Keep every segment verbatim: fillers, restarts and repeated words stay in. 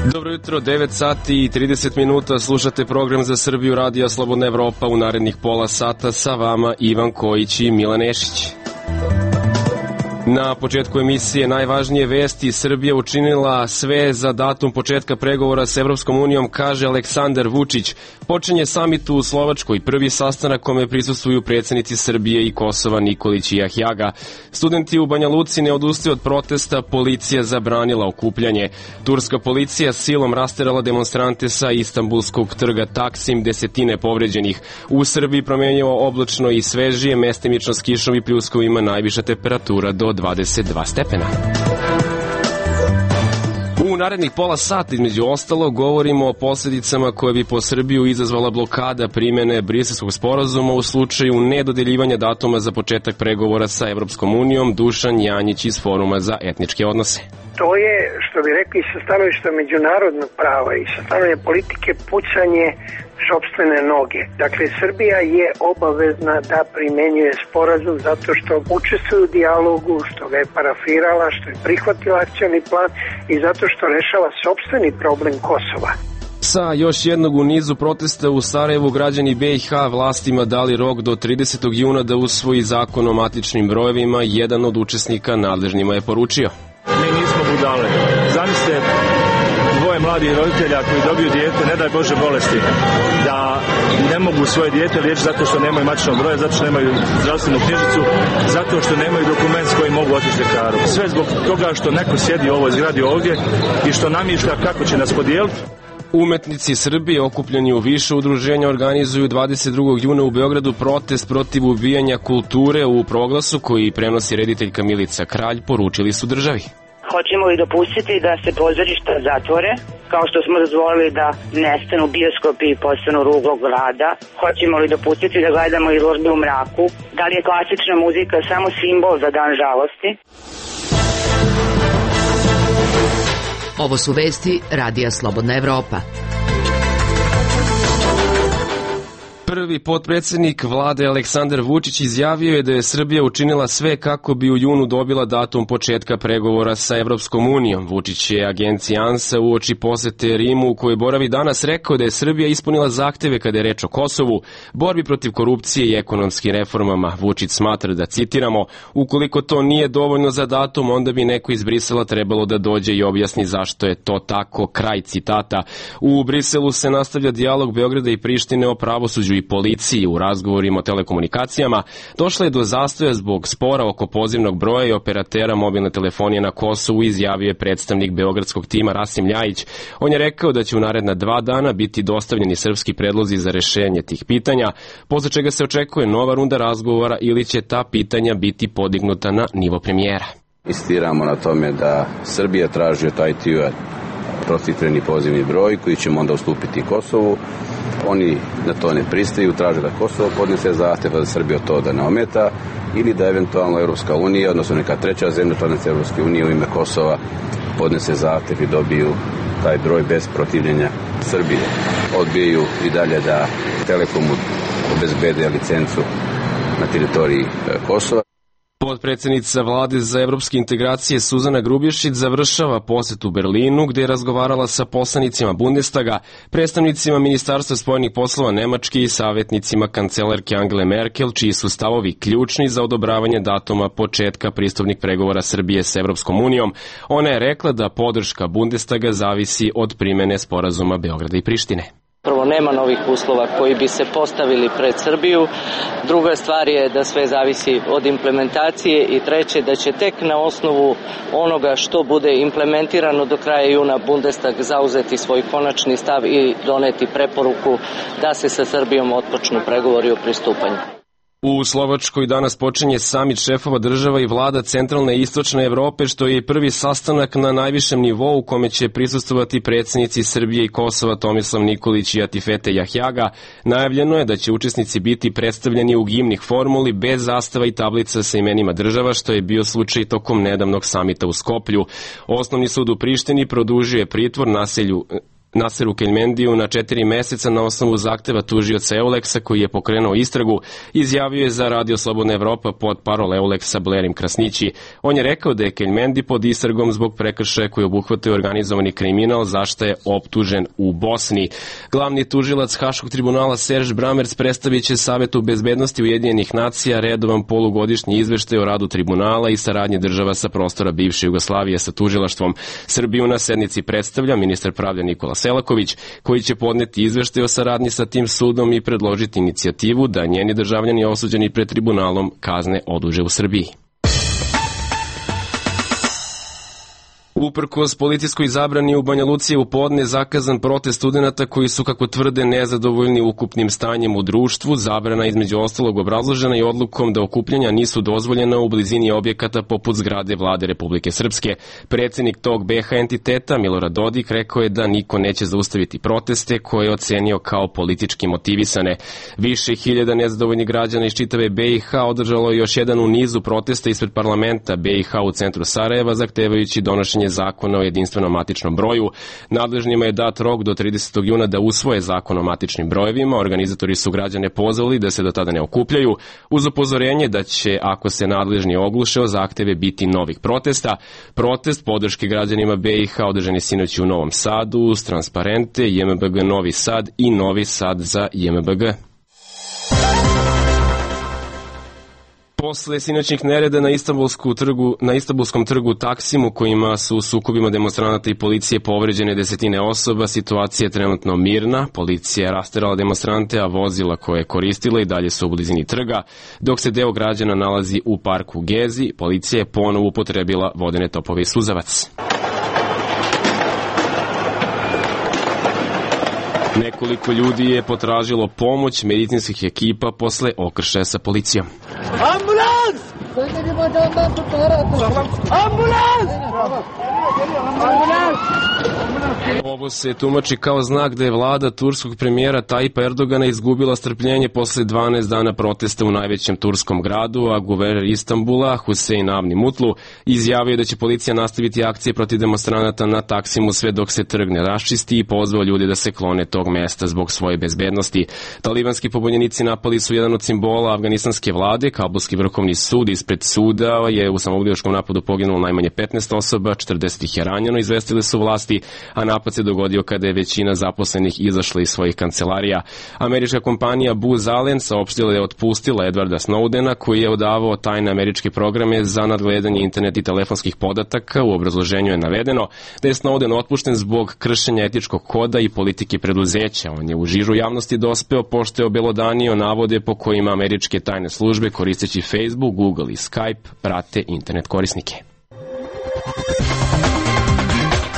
Dobro jutro, devet sati i trideset minuta, slušate program za Srbiju Radija Slobodna Evropa. U narednih pola sata sa vama Ivan Kojić i Milan Nešić. Na početku emisije najvažnije vesti. Srbija učinila sve za datum početka pregovora s Evropskom unijom, kaže Aleksandar Vučić. Počinje samit u Slovačkoj, prvi sastanak kome prisustvuju predsjednici Srbije i Kosova Nikolić i Jahjaga. Studenti u Banja Luci ne odustaju od protesta, policija zabranila okupljanje. Turska policija silom rasterala demonstrante sa Istanbulskog trga Taksim, desetine povređenih. U Srbiji promenjivo oblačno i svežije, mestimično s kišom i pljuskovima, najviša temperatura do dvadeset dva stepena. U narednih pola sata, između ostalo, govorimo o posljedicama koje bi po Srbiju izazvala blokada primjene Briselskog sporazuma u slučaju nedodeljivanja datuma za početak pregovora sa Evropskom unijom. Dušan Janjić iz Foruma za etničke odnose. To je, što bi rekli, sa stanovišta međunarodnog prava i sa stanovišta politike pucanje sopstvene noge. Dakle, Srbija je obavezna da primenjuje sporazum zato što učestvuje u dijalogu, što ga je parafirala, što je prihvatila akcioni plan i zato što rešava sopstveni problem Kosova. Sa još jednog u nizu protesta u Sarajevu, građani B i H vlastima dali rok do tridesetog juna da usvoji zakon o matičnim brojevima. Jedan od učesnika nadležnima je poručio: Mi nismo budale. Zamislite dvoje mladih roditelja koji dobiju dijete, ne daj Bože bolesti, da ne mogu svoje dijete liječiti zato što nemaju matičnog broja, zato što nemaju zdravstvenu knjižicu, zato što nemaju dokument s kojim mogu otići ljekaru. Sve zbog toga što neko sjedi u ovoj zgradi ovdje i što namišlja kako će nas podijeliti. Umetnici Srbije okupljeni u više udruženja organizuju dvadeset drugog juna u Beogradu protest protiv ubijanja kulture. U proglasu koji prenosi rediteljka Milica Kralj poručili su državi: Hoćemo li dopustiti da se pozorišta zatvore, kao što smo dozvolili da nestanu bioskopi i postanu ruglo grada? Hoćemo li dopustiti da gledamo izložbe u mraku? Da li je klasična muzika samo simbol za dan žalosti? Ovo su vesti Radija Slobodna Evropa. Prvi potpredsjednik vlade Aleksandar Vučić izjavio je da je Srbija učinila sve kako bi u junu dobila datum početka pregovora sa Evropskom unijom. Vučić je agenciji ANSA uoči posete Rimu u kojoj boravi danas rekao da je Srbija ispunila zahteve kada je reč o Kosovu, borbi protiv korupcije i ekonomskim reformama. Vučić smatra da, citiramo, ukoliko to nije dovoljno za datum, onda bi neko iz Brisela trebalo da dođe i objasni zašto je to tako, kraj citata. U Briselu se nastavlja dijalog Beograda i Prištine o pravosuđu i policiji. U razgovorima o telekomunikacijama došlo je do zastoja zbog spora oko pozivnog broja i operatera mobilne telefonije na Kosovu, izjavio je predstavnik beogradskog tima Rasim Ljajić. On je rekao da će u naredna dva dana biti dostavljeni srpski predlozi za rešenje tih pitanja, posle čega se očekuje nova runda razgovora ili će ta pitanja biti podignuta na nivo premijera. Insistiramo na tome da Srbija traži od I T U-a procifreni pozivni broj koji ćemo onda ustupiti Kosovu. Oni na to ne pristaju, traže da Kosovo podnese zahtev, da Srbija to da ne ometa ili da eventualno Evropska unija, odnosno neka treća zemlja članica Evropske unije u ime Kosova podnese zahtev i dobiju taj broj bez protivljenja Srbije. Odbijaju i dalje da Telekomu obezbede licencu na teritoriji Kosova. Potpredsjednica vlade za evropske integracije Suzana Grubješić završava posjet u Berlinu, gdje je razgovarala sa poslanicima Bundestaga, predstavnicima Ministarstva spoljnih poslova Nemačke i savjetnicima kancelarke Angele Merkel, čiji su stavovi ključni za odobravanje datuma početka pristupnih pregovora Srbije s Evropskom unijom. Ona je rekla da podrška Bundestaga zavisi od primjene sporazuma Beograda i Prištine. Prvo, nema novih uslova koji bi se postavili pred Srbiju. Druga stvar je da sve zavisi od implementacije i treće da će tek na osnovu onoga što bude implementirano do kraja juna Bundestag zauzeti svoj konačni stav i doneti preporuku da se sa Srbijom otpočnu pregovori o pristupanju. U Slovačkoj danas počinje samit šefova država i vlada centralne i istočne Evrope, što je prvi sastanak na najvišem nivou u kome će prisustvovati predsjednici Srbije i Kosova Tomislav Nikolić i Atifete Jahjaga. Najavljeno je da će učesnici biti predstavljeni u gimnih formuli bez zastava i tablica sa imenima država, što je bio slučaj tokom nedavnog samita u Skoplju. Osnovni sud u Prištini produžio je pritvor nasilju Naseru Keljmendiju na četiri meseca na osnovu zahteva tužioca Euleksa koji je pokrenuo istragu, izjavio je za Radio Slobodna Evropa pod parol Euleksa Blerim Krasnići. On je rekao da je Keljmendi pod istragom zbog prekršaja koji obuhvataju organizovani kriminal, za šta je optužen u Bosni. Glavni tužilac Haškog tribunala Serž Bramerc predstavit će Savetu bezbednosti Ujedinjenih nacija redovan polugodišnji izveštaj o radu tribunala i saradnje država sa prostora bivše Jugoslavije sa tužilaštvom. Srbiju na sednici predstavlja ministar pravde Nikola Selaković, koji će podneti izveštaj o saradnji sa tim sudom i predložiti inicijativu da njeni državljani osuđeni pred tribunalom kazne oduže u Srbiji. Uprkos policijskoj zabrani u Banja Luci je u podne zakazan protest studenata koji su, kako tvrde, nezadovoljni ukupnim stanjem u društvu. Zabrana između ostalog obrazložena i odlukom da okupljanja nisu dozvoljena u blizini objekata poput zgrade Vlade Republike Srpske. Predsednik tog be ha entiteta Milorad Dodik rekao je da niko neće zaustaviti proteste koje je ocenio kao politički motivisane. Više hiljada nezadovoljnih građana iz čitave be i ha održalo je još jedan u nizu protesta ispred parlamenta be i ha u centru Sarajeva, zahtevajući donošenje zakona o jedinstvenom matičnom broju. Nadležnjima je dat rok do tridesetog juna da usvoje zakon o matičnim brojevima. Organizatori su građane pozvali da se do tada ne okupljaju, uz upozorenje da će, ako se nadležni ogluše o zahteve, biti novih protesta. Protest podrške građanima be i ha održan je sinoć u Novom Sadu uz transparente je em be ge Novi Sad i Novi Sad za je em be ge. Posle sinoćnih nereda na, trgu, na Istanbulskom trgu Taksimu, kojima su u sukobima demonstranata i policije povređene desetine osoba, situacija je trenutno mirna. Policija je rasterala demonstrante, a vozila koje je koristila i dalje su u blizini trga. Dok se deo građana nalazi u parku Gezi, policija je ponovo upotrebila vodene topove i suzavac. Nekoliko ljudi je potražilo pomoć medicinskih ekipa posle okršaja sa policijom. Ambulans! Ambulans! Ovo se tumači kao znak da je vlada turskog premijera Tajipa Erdogana izgubila strpljenje posle dvanaest dana protesta u najvećem turskom gradu, a guverner Istanbula, Husein Avni Mutlu, izjavio da će policija nastaviti akcije protiv demonstranata na Taksimu sve dok se trg ne raščisti i pozvao ljude da se klone tog mesta zbog svoje bezbednosti. Talibanski pobunjenici napali su jedan od simbola afganistanske vlade. Kabulski vrhovni sud ispred suda je u samoubilačkom napadu poginulo najmanje petnaest osoba, četrdeset ih je ranjeno, izvestile su vlasti, a napad se dogodio kada je većina zaposlenih izašla iz svojih kancelarija. Američka kompanija Booz Allen saopštila da je otpustila Edwarda Snowdena, koji je odavao tajne američke programe za nadgledanje internet i telefonskih podataka. U obrazloženju je navedeno da je Snowden otpušten zbog kršenja etičkog koda i politike preduzeća. On je u žižu javnosti dospeo pošto je obelodanio navode po kojima američke tajne službe, koristeći Facebook, Google i Skype, prate internet korisnike.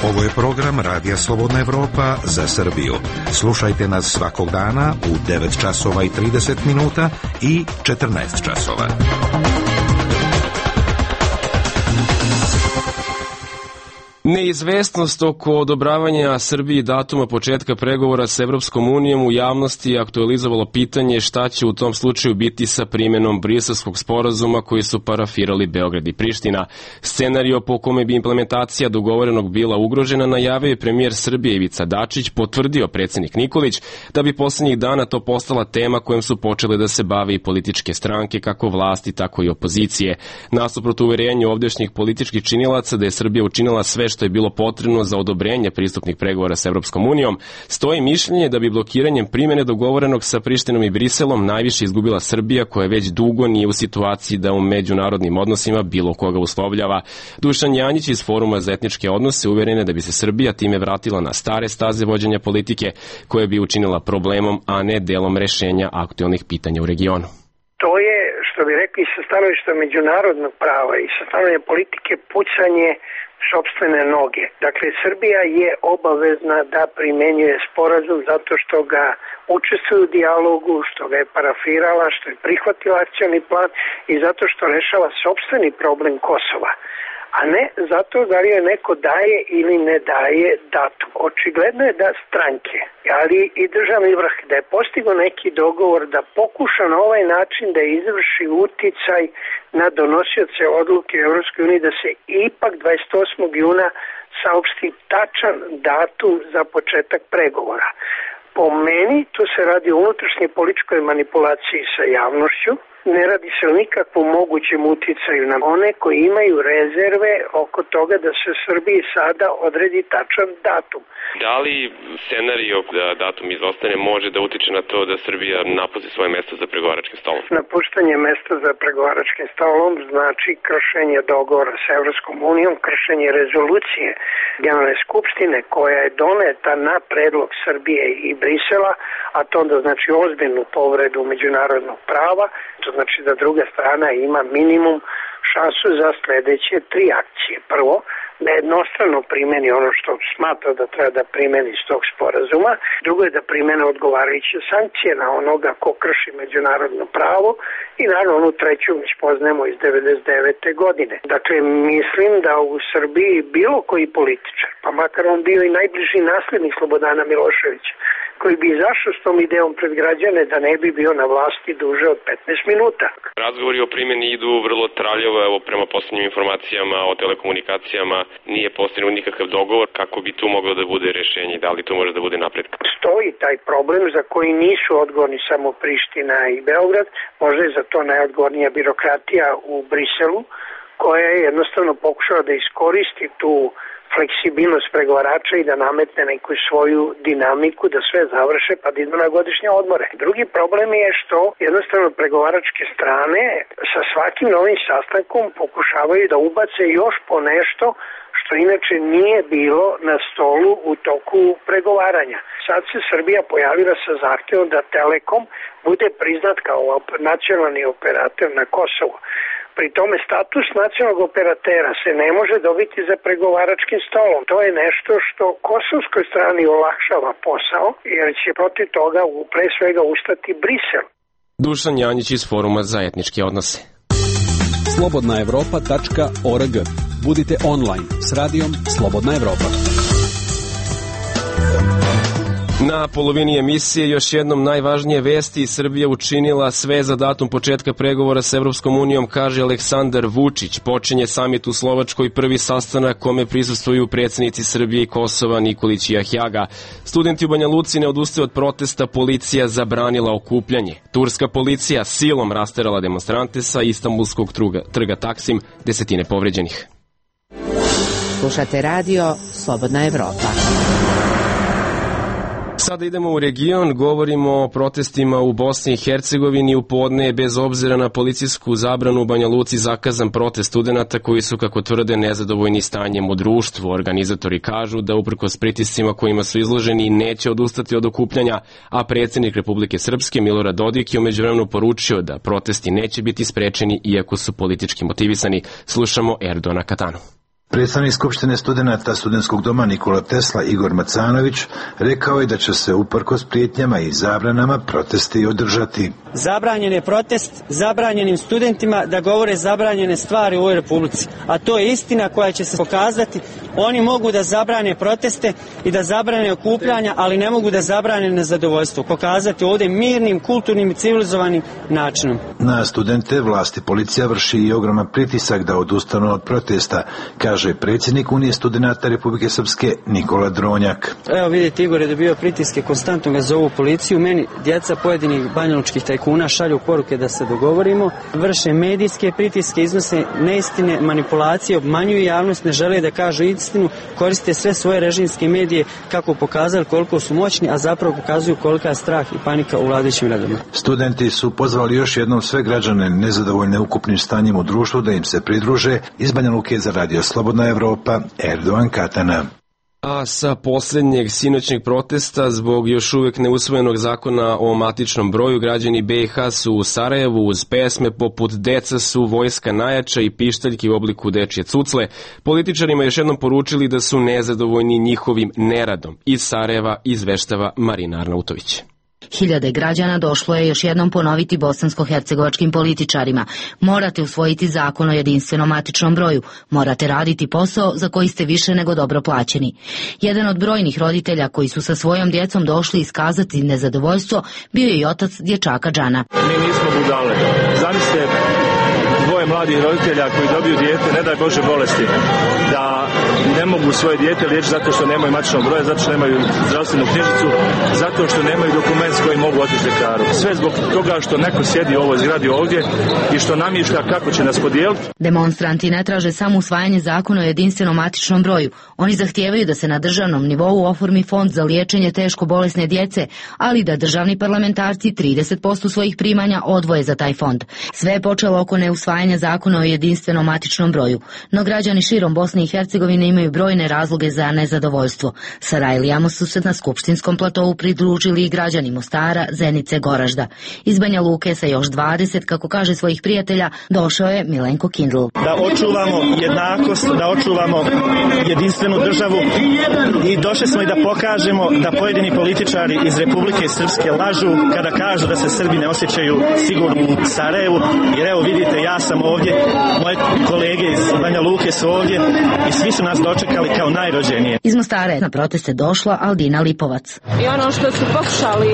Ovo je program Radija Slobodna Evropa za Srbiju. Slušajte nas svakog dana u devet časova i trideset minuta i četrnaest časova. Neizvestnost oko odobravanja Srbiji datuma početka pregovora s Evropskom unijom u javnosti je aktualizovalo pitanje šta će u tom slučaju biti sa primjenom Briselskog sporazuma koji su parafirali Beograd i Priština. Scenario po kome bi implementacija dogovorenog bila ugrožena najavio je premijer Srbije Ivica Dačić, potvrdio predsjednik Nikolić da bi poslednjih dana to postala tema kojom su počele da se bave i političke stranke, kako vlasti, tako i opozicije. Nasuprot uverenju ovdešnjih političkih činilaca da je Srbija učinila sve što je bilo potrebno za odobrenje pristupnih pregovora s Evropskom unijom, stoji mišljenje da bi blokiranjem primjene dogovorenog sa Prištinom i Briselom najviše izgubila Srbija, koja već dugo nije u situaciji da u međunarodnim odnosima bilo koga uslovljava. Dušan Janjić iz Foruma za etničke odnose uveren je da bi se Srbija time vratila na stare staze vođenja politike, koje bi učinila problemom, a ne delom rešenja aktuelnih pitanja u regionu. To je, što bi rekli, sa stanovišta međunarodnog prava i sa stanovišta politike pucanje sopstvene noge. Dakle, Srbija je obavezna da primenjuje sporazum zato što ga učestvuje u dijalogu, što ga je parafirala, što je prihvatila akcioni plan i zato što rešava sopstveni problem Kosova, a ne zato da li je neko daje ili ne daje datum. Očigledno je da stranke, ali i državni vrh, da je postigao neki dogovor da pokuša na ovaj način da izvrši uticaj na donosioce odluke u Evropskoj uniji da se ipak dvadeset osmog juna saopšti tačan datum za početak pregovora. Po meni tu se radi o unutrašnjoj političkoj manipulaciji sa javnošću. Ne radi se o nikakvom mogućem uticaju na one koji imaju rezerve oko toga da se Srbiji sada odredi tačan datum. Da li scenario da datum izostane može da utiče na to da Srbija napusti svoje mesto za pregovaračkim stolom? Napuštanje mesta za pregovaračkim stolom znači kršenje dogovora sa Evropskom unijom, kršenje rezolucije Generalne skupštine koja je doneta na predlog Srbije i Brisela, a to onda znači ozbiljnu povredu međunarodnog prava. To znači da druga strana ima minimum šansu za sledeće tri akcije. Prvo, da jednostrano primeni ono što smatra da treba da primeni iz tog sporazuma. Drugo je da primene odgovarajuće sankcije na onoga ko krši međunarodno pravo i naravno onu treću već poznajemo iz devedeset devete godine. Dakle, mislim da u Srbiji bilo koji političar, pa makar on bio i najbliži naslednik Slobodana Miloševića, koji bi izašao s tom idejom pred građane da ne bi bio na vlasti duže od petnaest minuta. Razgovori o primjeni idu vrlo traljavo, evo prema poslednjim informacijama o telekomunikacijama nije postignut nikakav dogovor, kako bi tu moglo da bude rešenje, da li to može da bude napredak? Stoji taj problem za koji nisu odgovorni samo Priština i Beograd, možda je za to najodgovornija birokratija u Briselu, koja je jednostavno pokušala da iskoristi tu fleksibilnost pregovarača i da nametne neku svoju dinamiku, da sve završe pa da idu na godišnje odmore. Drugi problem je što jednostavno pregovaračke strane sa svakim novim sastankom pokušavaju da ubace još po nešto što inače nije bilo na stolu u toku pregovaranja. Sad se Srbija pojavila sa zahtevom da Telekom bude priznat kao nacionalni operator na Kosovu. Pri tome status nacionalnog operatera se ne može dobiti za pregovaračkim stolom. To je nešto što kosovskoj strani olakšava posao, jer će protiv toga pre svega ustati Brisel. Dušan Janjić iz Foruma za etničke odnose. slobodna evropa tačka org. Budite online s radijom Slobodna Evropa. Na polovini emisije još jednom najvažnije vesti. Srbija učinila sve za datum početka pregovora s Evropskom unijom, kaže Aleksandar Vučić. Počinje samit u Slovačkoj, prvi sastanak kome prisustvuju predsjednici Srbije i Kosova Nikolić i Ahjaga. Studenti u Banja Luci ne odustaju od protesta, policija zabranila okupljanje. Turska policija silom rasterala demonstrante sa Istanbulskog truga, trga Taksim, desetine povređenih. Slušate radio Slobodna Evropa. Sada idemo u region, govorimo o protestima u Bosni i Hercegovini. U podne je bez obzira na policijsku zabranu u Banja Luci zakazan protest studenata koji su, kako tvrde, nezadovoljni stanjem u društvu. Organizatori kažu da uprkos pritiscima kojima su izloženi neće odustati od okupljanja, a predsjednik Republike Srpske Milorad Dodik je u međuvremenu poručio da protesti neće biti sprečeni iako su politički motivisani. Slušamo Erdona Katanu. Predstavnik Skupštine studenata Studentskog doma Nikola Tesla Igor Macanović rekao je da će se uprkos prijetnjama i zabranama protesti održati. Zabranjen je protest zabranjenim studentima da govore zabranjene stvari u ovoj republici, a to je istina koja će se pokazati. Oni mogu da zabrane proteste i da zabrane okupljanja, ali ne mogu da zabrane nezadovoljstvo. Pokazati ovdje mirnim, kulturnim i civilizovanim načinom. Na studente vlasti policija vrši i ogroman pritisak da odustanu od protesta, kaže predsjednik Unije studenata Republike Srpske Nikola Dronjak. Evo vidite, Igor je dobio pritiske, konstantno ga zovu policiju. Meni djeca pojedinih banjalučkih tajkuna šalju poruke da se dogovorimo, vrše medijske pritiske, iznose neistine, manipulacije, obmanjuju javnost, ne žele da kažu istinu, koriste sve svoje režimske medije kako pokazali koliko su moćni, a zapravo pokazuju kolika je strah i panika u vladajućim redovima. Studenti su pozvali još jednom sve građane nezadovoljne ukupnim stanjem u društvu da im se pridruže. Iz Banja Luke za radio Slobodna Evropa, Erdogan Katana. A sa posljednjeg sinoćnjeg protesta zbog još uvijek neusvojenog zakona o matičnom broju, građani B i H su u Sarajevu uz pesme poput Deca su vojska najjača i pištaljki u obliku dečje cucle političarima još jednom poručili da su nezadovoljni njihovim neradom. Iz Sarajeva izveštava Marina Arnautović. Hiljade građana došlo je još jednom ponoviti bosansko-hercegovačkim političarima. Morate usvojiti zakon o jedinstvenom matičnom broju. Morate raditi posao za koji ste više nego dobro plaćeni. Jedan od brojnih roditelja koji su sa svojom djecom došli iskazati nezadovoljstvo bio je i otac dječaka Džana. Mi nismo budale. Zamislite dvoje dvoje mladih roditelja koji dobiju dijete, ne daj Bože bolesti, da ne mogu svoje dijete liječiti zato što nemaju matičnog broja, zato što nemaju zdravstvenu knjižicu, zato što nemaju dokument s kojim mogu otići ljekaru. Sve zbog toga što neko sjedi u ovoj zgradi ovdje i što namišlja kako će nas podijeliti. Demonstranti ne traže samo usvajanje zakona o jedinstvenom matičnom broju. Oni zahtijevaju da se na državnom nivou oformi fond za liječenje teško bolesne djece, ali da državni parlamentarci trideset posto svojih primanja odvoje za taj fond. Sve je počelo oko neusvajanja zakona o jedinstvenom matičnom broju, no građani širom Bosne i Hercegovine imaju brojne razloge za nezadovoljstvo. Sarajlijama su se na skupštinskom platovu pridružili i građani Mostara, Zenice, Goražda. Iz Banja Luke sa još dvadeset, kako kaže svojih prijatelja, došao je Milenko Kindl. Da očuvamo jednakost, da očuvamo jedinstvenu državu i došli smo i da pokažemo da pojedini političari iz Republike Srpske lažu kada kažu da se Srbi ne osjećaju sigurno u Sarajevu, jer evo vidite, ja sam ovdje, moje kolege iz Banja Luke su ovdje i svi su nas dočekali kao najrođenije. Iz Mostara je na proteste došla Aldina Lipovac. I ono što su pokušali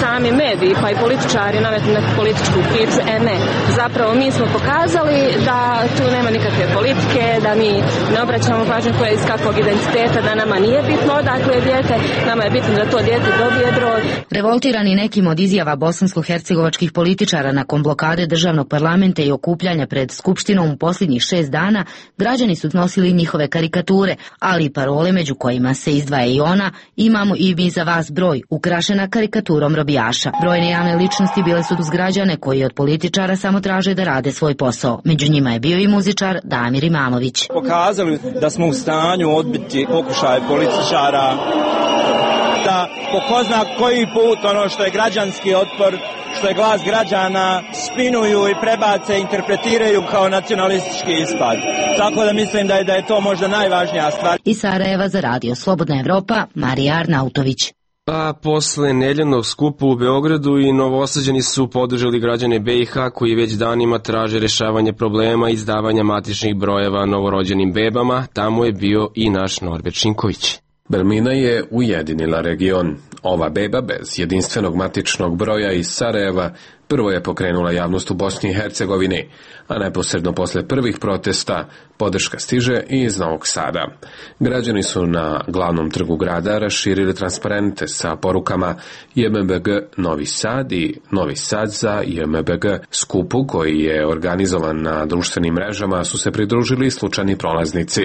sami mediji pa i političari nametnu neku političku priču, e ne, zapravo mi smo pokazali da tu nema nikakve politike, da mi ne obraćamo pažnju koja je iz kakvog identiteta, da nama nije bitno odakle je dijete, nama je bitno da to dijete dobije broj. Revoltirani nekim od izjava bosansko-hercegovačkih političara nakon blokade državnog parlamenta i okupljanja pred Skupštinom u posljednjih šest dana, građani su nosili njihove karikature, ali i parole među kojima se izdvaja i ona "Imamo i mi za vas broj", ukrašena karikaturom robijaša. Brojne javne ličnosti bile su uz građane koji od političara samo traže da rade svoj posao. Među njima je bio i muzičar Damir Imamović. Pokazali da smo u stanju odbiti pokušaje političara, da po ko zna koji put ono što je građanski otpor, što je glas građana, spinuju i prebace, interpretiraju kao nacionalistički ispad. Tako da mislim da je, da je to možda najvažnija stvar. Iz Sarajeva za radio Slobodna Evropa, Marija Arnautović. A posle nedeljnog skupa u Beogradu i Novosađani su podržali građane B i H koji već danima traže rešavanje problema izdavanja matičnih brojeva novorođenim bebama. Tamo je bio i naš Norbert Šinković. Belmina je ujedinila region. Ova beba bez jedinstvenog matičnog broja iz Sarajeva prvo je pokrenula javnost u Bosni i Hercegovini, a neposredno posle prvih protesta podrška stiže i iz Novog Sada. Građani su na glavnom trgu grada raširili transparente sa porukama J M B G Novi Sad i Novi Sad za J M B G. Skupu koji je organizovan na društvenim mrežama su se pridružili slučajni prolaznici.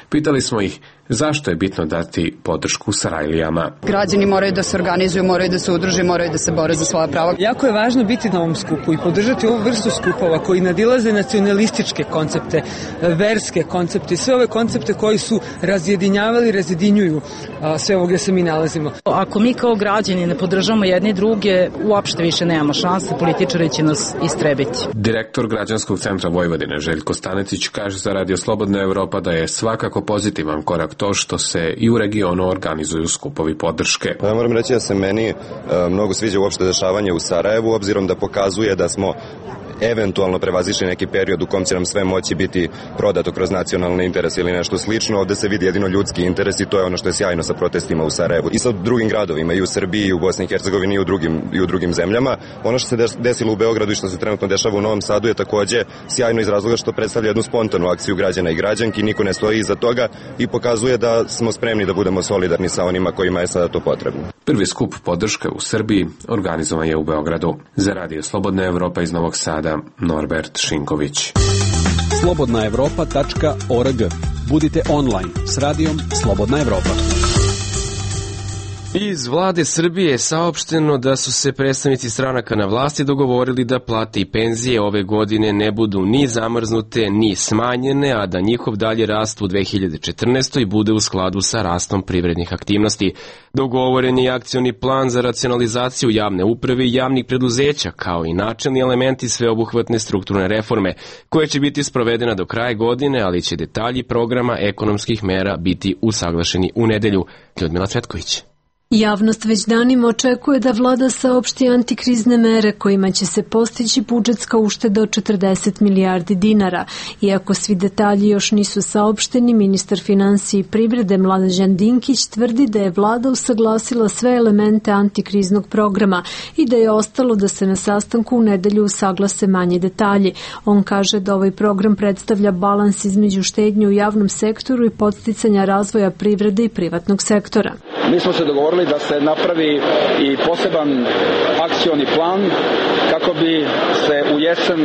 Pitali smo ih zašto je bitno dati podršku Sarajlijama. Građani moraju da se organizuju, moraju da se udruže, moraju da se bore za svoja prava. Jako je važno biti na ovom skupu i podržati ovu vrstu skupova koji nadilaze nacionalističke koncepte, verske koncepte, sve ove koncepte koji su razjedinjavali, razjedinjuju a, sve ovo gdje se mi nalazimo. Ako mi kao građani ne podržamo jedni druge, uopšte više nemamo šanse, političari će nas istrebiti. Direktor Građanskog centra Vojvodine Željko Stanecić kaže za Radio Slobodna Evropa da je svakako pozitivan korak to što se i u regionu organizuju skupovi podrške. Ja moram reći da se meni e, mnogo sviđa uopšte dešavanje u Sarajevu, obzirom da pokazuje da smo eventualno prevazišli neki period u kom će nam sve moći biti prodato kroz nacionalne interese ili nešto slično. Ovde se vidi jedino ljudski interes i to je ono što je sjajno sa protestima u Sarajevu i sa drugim gradovima, i u Srbiji, i u Bosni i Hercegovini, i u drugim, i u drugim zemljama. Ono što se desilo u Beogradu i što se trenutno dešava u Novom Sadu je takođe sjajno iz razloga što predstavlja jednu spontanu akciju građana i građanki, niko ne stoji iza toga i pokazuje da smo spremni da budemo solidarni sa onima kojima je sada to potrebno. Prvi skup podrške u Srbiji organizovan je u Beogradu. Za Radio Slobodna Evropa iz Novog Sada, Norbert Šinković. slobodna evropa tačka org. Budite online s radijom Slobodna Evropa. Iz vlade Srbije je saopšteno da su se predstavnici stranaka na vlasti dogovorili da plate i penzije ove godine ne budu ni zamrznute ni smanjene, a da njihov dalje rast u dve hiljade četrnaestoj. bude u skladu sa rastom privrednih aktivnosti. Dogovoren je akcioni plan za racionalizaciju javne uprave i javnih preduzeća, kao i načelni elementi sveobuhvatne strukturne reforme, koje će biti sprovedena do kraja godine, ali će detalji programa ekonomskih mera biti usaglašeni u nedelju. Ljudmila Cvetković. Javnost već danima očekuje da vlada saopšti antikrizne mere kojima će se postići budžetska ušteda od četrdeset milijardi dinara. Iako svi detalji još nisu saopšteni, ministar finansija i privrede Mlađan Dinkić tvrdi da je vlada usaglasila sve elemente antikriznog programa i da je ostalo da se na sastanku u nedelju usaglase manje detalji. On kaže da ovaj program predstavlja balans između štednje u javnom sektoru i podsticanja razvoja privrede i privatnog sektora. Mi smo se dogovorili da se napravi i poseban akcioni plan kako bi se u jesen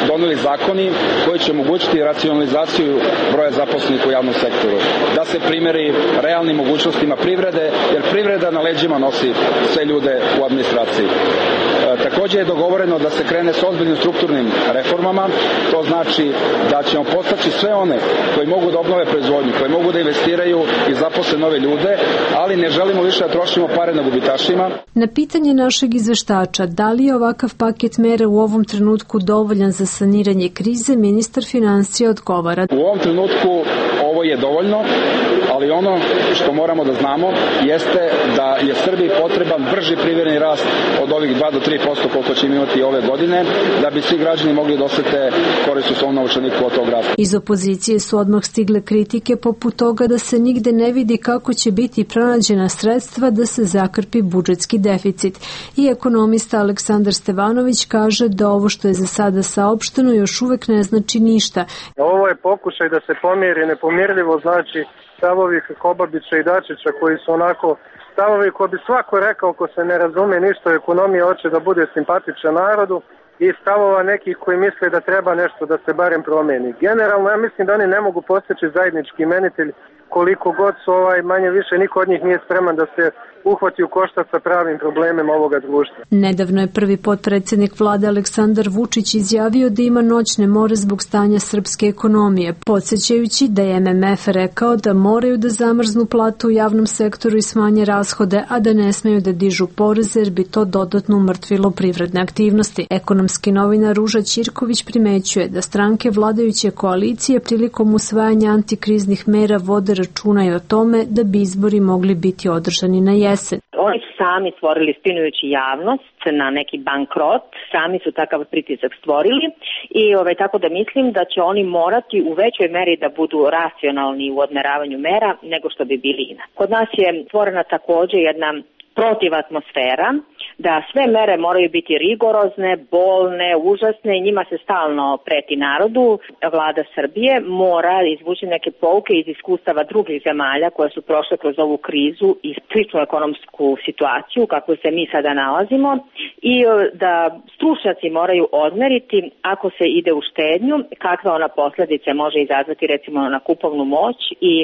doneli zakoni koji će omogućiti racionalizaciju broja zaposlenih u javnom sektoru, da se primeri realnim mogućnostima privrede, jer privreda na leđima nosi sve ljude u administraciji. E, također je dogovoreno da se krene s ozbiljnim strukturnim reformama, to znači da ćemo postaći sve one koji mogu da obnove proizvodnju, koji mogu da investiraju i zaposle nove ljude, ali ne želimo više da trošimo pare na gubitašima. Na pitanje našeg izveštača da li je ovakav paket mera u ovom trenutku dovoljan za saniranje krize, ministar finansija odgovara. U ovom trenutku ovo je dovoljno, ali ono što moramo da znamo jeste da je Srbiji potreban brži privredni rast od ovih dva do tri posto koliko ćemo imati ove godine, da bi svi građani mogli da osete korist u svom novčaniku od tog rasta. Iz opozicije su odmah stigle kritike poput toga da se nigde ne vidi kako će biti pronađena sredstva da se zakrpi budžetski deficit. I ekonomista Aleksandar Stevanović kaže da ovo što je za sada saopšteno još uvek ne znači ništa. Ovo je pokušaj da se pomiri nepomirljivo, znači stavovi Kobabića i Dačića koji su onako stavovi koji bi svako rekao ko se ne razume ništa o ekonomiji, hoće da bude simpatičan narodu, i stavova nekih koji misle da treba nešto da se barem promeni. Generalno ja mislim da oni ne mogu postići zajednički imenitelj koliko god su ovaj, manje više niko od njih nije spreman da se uhvati u koštac sa pravim problemima ovoga društva. Nedavno je prvi potpredsjednik vlade Aleksandar Vučić izjavio da ima noćne more zbog stanja srpske ekonomije, podsjećajući da je M M F rekao da moraju da zamrznu platu u javnom sektoru i smanje rashode, a da ne smeju da dižu poreze jer bi to dodatno umrtvilo privredne aktivnosti. Ekonomski novinar Ruža Ćirković primećuje da stranke vladajuće koalicije prilikom usvajanja antikriznih mera vode računa i o tome da bi izbori mogli biti održani na jesen. Oni su sami stvorili, spinujući javnost na neki bankrot, sami su takav pritisak stvorili i ovaj, tako da mislim da će oni morati u većoj meri da budu racionalni u odmeravanju mera nego što bi bili inače. Kod nas je stvorena također jedna protiv atmosfera, da sve mere moraju biti rigorozne, bolne, užasne i njima se stalno preti narodu. Vlada Srbije mora izvući neke pouke iz iskustava drugih zemalja koje su prošle kroz ovu krizu i sličnu ekonomsku situaciju kako se mi sada nalazimo i da stručnjaci moraju odmeriti ako se ide u štednju, kakve ona posljedice može izazvati recimo na kupovnu moć i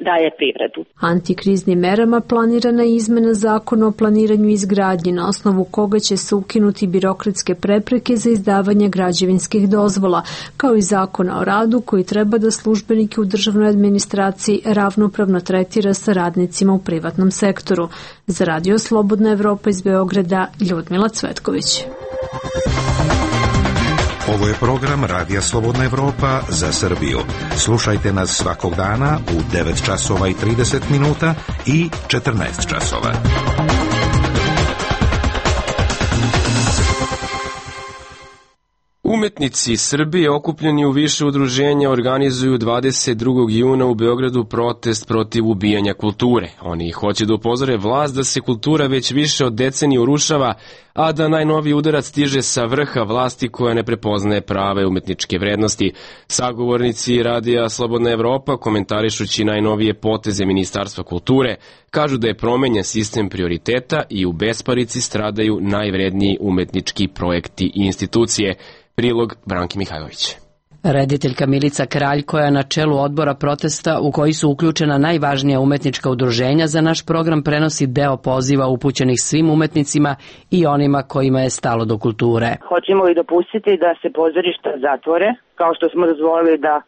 dalje privredu. Antikriznim merama planirana je izmena zakona o planiranju i izgradnji na osnovu koga će se ukinuti birokratske prepreke za izdavanje građevinskih dozvola, kao i zakona o radu koji treba da službenike u državnoj administraciji ravnopravno tretira sa radnicima u privatnom sektoru. Za Radio Slobodna Evropa iz Beograda, Ljudmila Cvetković. Ovo je program Radija Slobodna Evropa za Srbiju. Slušajte nas svakog dana u devet časova i trideset minuta i četrnaest časova. Umetnici Srbije okupljeni u više udruženja organizuju dvadeset drugog juna u Beogradu protest protiv ubijanja kulture. Oni hoće da upozore vlast da se kultura već više od decenije urušava, a da najnoviji udarac stiže sa vrha vlasti koja ne prepoznaje prave umetničke vrednosti. Sagovornici Radija Slobodna Evropa, komentarišući najnovije poteze Ministarstva kulture, kažu da je promenjen sistem prioriteta i u besparici stradaju najvredniji umetnički projekti i institucije. Prilog Branki Mihajlović. Rediteljka Milica Kralj, koja je na čelu odbora protesta u koji su uključena najvažnija umetnička udruženja, za naš program prenosi deo poziva upućenih svim umetnicima i onima kojima je stalo do kulture. Hoćemo li dopustiti da se pozorišta zatvore, kao što smo dozvolili da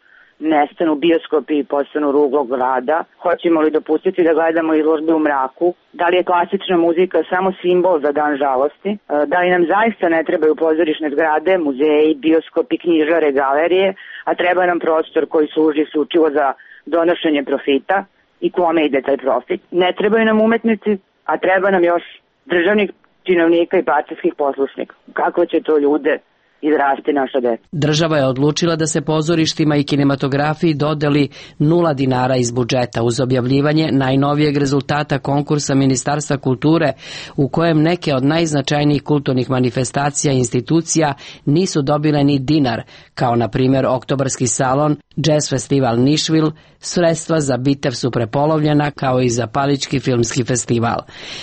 nestanu bioskopi i postanu ruglo grada? Hoćemo li dopustiti da gledamo izložbe u mraku? Da li je klasična muzika samo simbol za dan žalosti? Da li nam zaista ne trebaju pozorišne zgrade, muzeji, bioskopi, knjižare, galerije, a treba nam prostor koji služi isključivo za donošenje profita i kome ide taj profit? Ne trebaju nam umetnici, a treba nam još državnih činovnika i partijskih poslušnika. Kako će to ljude izrasti naša deca? Država je odlučila da se pozorištima i kinematografiji dodeli nula dinara iz budžeta uz objavljivanje najnovijeg rezultata konkursa Ministarstva kulture u kojem neke od najznačajnijih kulturnih manifestacija i institucija nisu dobile ni dinar, kao na primjer Oktobarski salon, Jazz festival Nišvil, sredstva za Bitev su prepolovljena, kao i za Palički filmski festival.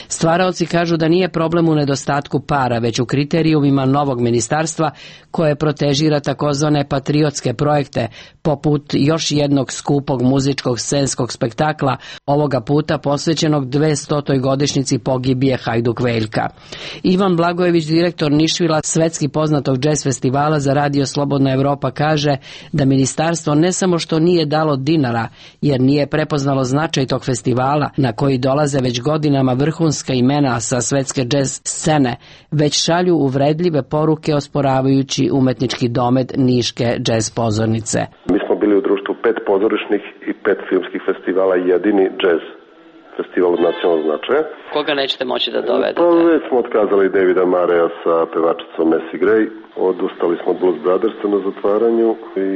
Stvaraoci kažu da nije problem u nedostatku para, već u kriterijumima novog ministarstva koje protežira takozvane patriotske projekte, poput još jednog skupog muzičkog scenskog spektakla, ovoga puta posvećenog dvestotoj godišnjici pogibije Hajduk Veljka. Ivan Blagojević, direktor Nišvila, svetski poznatog džez festivala za Radio Slobodna Evropa, kaže da ministarstvo ne samo što nije dalo dinara, jer nije prepoznalo značaj tog festivala, na koji dolaze već godinama vrhunska imena sa svetske džez scene, već šalju uvredljive poruke osporavajući umetnički domet Niške džez pozornice. Mi smo bili u društvu pet pozorišnih i pet filmskih festivala i jedini džez festival od nacionalnog značaja. Koga nećete moći da dovedete? Pa već smo otkazali Davida Mareja sa pevačicom Messi Gray, odustali smo od Blues Brothersa na zatvaranju i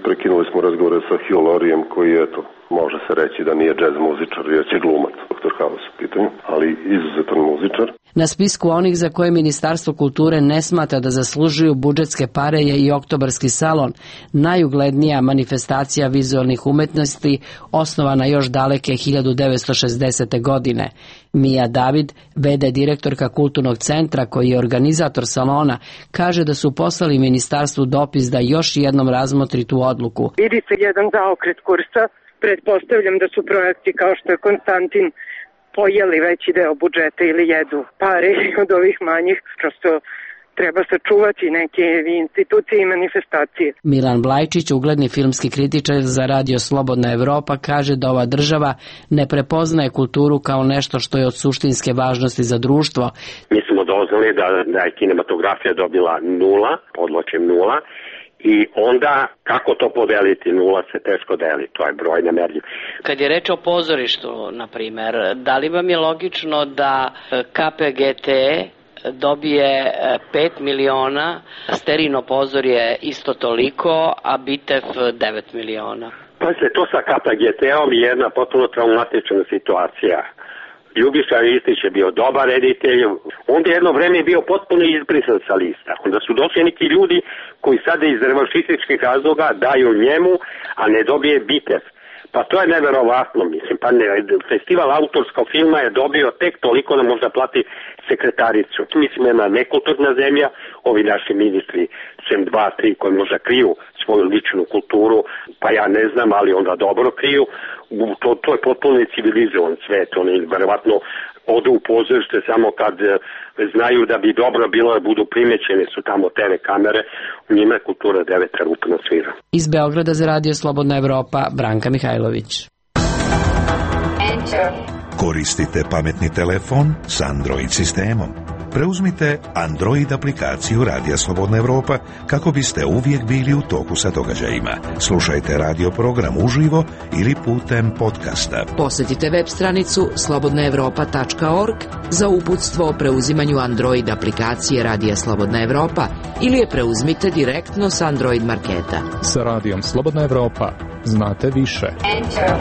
prekinuli smo razgovore sa Hugh Lauriem, koji, eto, može se reći da nije džez muzičar, jer će glumac, doktor House u pitanju, ali izuzetan muzičar. Na spisku onih za koje Ministarstvo kulture ne smatra da zaslužuju budžetske pare je i Oktobarski salon, najuglednija manifestacija vizualnih umetnosti, osnovana još daleke hiljadu devetsto šezdesete. godine. Mija David, ve de direktorka Kulturnog centra koji je organizator salona, kaže da su poslali ministarstvu dopis da još jednom razmotri tu odluku. Vidi se jedan zaokret kursa, pretpostavljam da su projekti kao što je Konstantin pojeli veći deo budžeta ili jedu pare od ovih manjih, prosto treba sačuvati neke institucije i manifestacije. Milan Blajčić, ugledni filmski kritičar za Radio Slobodna Evropa, kaže da ova država ne prepoznaje kulturu kao nešto što je od suštinske važnosti za društvo. Mi smo doznali da, da je kinematografija dobila nula, podločim nula, i onda kako to podeliti? Nula se teško deli, to je broj nemerljiv. Kad je reč o pozorištu, na primer, da li vam je logično da K P G T dobije pet miliona, Sterino pozorje isto toliko, a Bitev devet miliona? Pa se to sa K P G T-om je jedna potpuno traumatična situacija. Ljubiša Ristić je bio dobar reditelj, onda jedno vreme je bio potpuno izbrisan sa lista. Onda su došli neki ljudi koji sada iz revanšističkih razloga daju njemu, a ne dobije Bitev. Pa to je neverovatno, mislim, pa ne, festival autorskog filma je dobio tek toliko da možda plati sekretaricu. Mislim, jedna nekulturna zemlja, ovi naši ministri, sem dva, tri, koji možda kriju svoju ličnu kulturu, pa ja ne znam, ali onda dobro kriju, to, to je potpuno civilizovan svet, oni verovatno odu u pozorište samo kad znaju da bi dobro bilo da budu primećene su tamo te ve kamere, u njima je kultura deveta rupna svira. Iz Beograda za Radio Slobodna Evropa, Branka Mihajlović. Koristite pametni telefon s Android sistemom. Preuzmite Android aplikaciju Radija Slobodna Evropa kako biste uvijek bili u toku sa događajima. Slušajte radio program uživo ili putem podcasta. Posjetite web stranicu slobodna evropa tačka org za uputstvo o preuzimanju Android aplikacije Radija Slobodna Evropa ili je preuzmite direktno s Android marketa. Sa Radijom Slobodna Evropa znate više. Enter.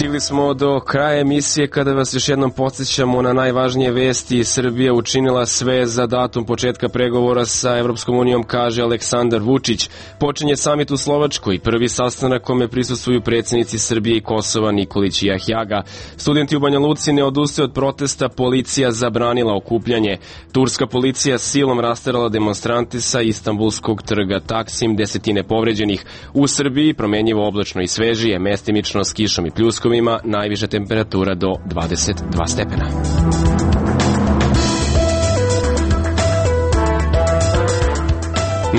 Stigli smo do kraja emisije kada vas još jednom podsjećamo na najvažnije vesti. Srbija učinila sve za datum početka pregovora sa Evropskom unijom, kaže Aleksandar Vučić. Počinje samit u Slovačkoj, prvi sastanak kome prisustvuju predsjednici Srbije i Kosova Nikolić i Jahjaga. Studenti u Banja Luci ne odustaju od protesta, policija zabranila okupljanje. Turska policija silom rasterala demonstranti sa Istanbulskog trga Taksim, desetine povređenih. U Srbiji promenjivo oblačno i svežije, mestimično s kišom i pljuskom, ima najviša temperatura do dvadeset dva stepena.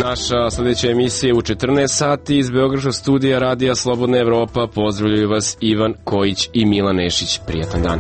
Naša sljedeća emisija je u četrnaest sati iz Beogradskog studija Radija Slobodna Evropa. Pozdravljaju vas Ivan Kojić i Milan Nešić. Prijatan dan.